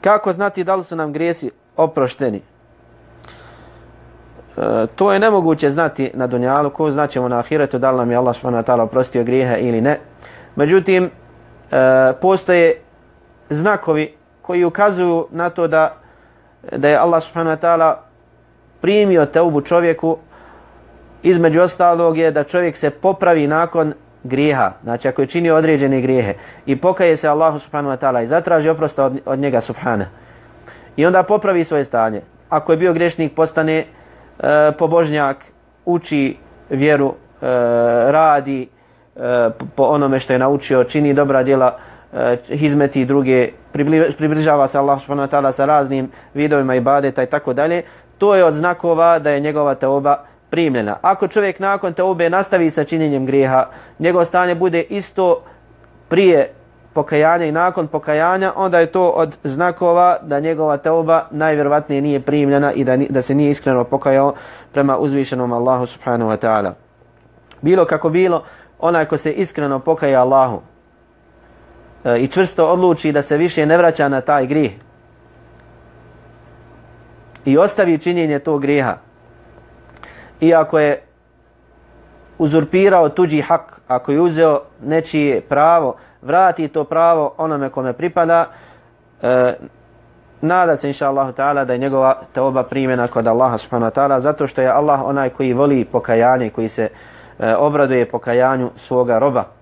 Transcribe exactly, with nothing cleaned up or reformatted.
Kako znati da li su nam grijesi oprošteni? E, to je nemoguće znati na dunjalu, ko znaćemo na ahiretu da li nam je Allah subhanahu wa ta'ala oprostio grijehe ili ne. Međutim, e, postoje znakovi koji ukazuju na to da, da je Allah subhanahu wa ta'ala primio teubu čovjeku. Između ostalog je da čovjek se popravi nakon grijeha, znači ako je činio određene grijehe i pokaje se Allahu subhanahu wa ta'ala i zatraži oprosta od, od njega subhana i onda popravi svoje stanje. Ako je bio griješnik, postane e, pobožnjak, uči vjeru, e, radi e, po onome što je naučio, čini dobra djela, e, hizmeti druge, približava se Allahu subhanahu wa ta'ala sa raznim vidovima ibadeta i tako dalje. To je od znakova da je njegova teuba primljena. Ako čovjek nakon teube nastavi sa činjenjem grijeha, njegovo stanje bude isto prije pokajanja i nakon pokajanja, onda je to od znakova da njegova teuba najvjerovatnije nije primljena i da, da se nije iskreno pokajao prema uzvišenom Allahu subhanahu wa ta'ala. Bilo kako bilo, onaj ko se iskreno pokaje Allahu e, i čvrsto odluči da se više ne vraća na taj grijeh i ostavi činjenje tog grijeha, iako je uzurpirao tuđi hak, ako je uzeo nečije pravo, vrati to pravo onome kome pripada, e, nada se inša Allahu ta'ala da je njegova teuba primjena kod Allaha subhanahu wa ta'ala, zato što je Allah onaj koji voli pokajanje, koji se e, obraduje pokajanju svoga roba.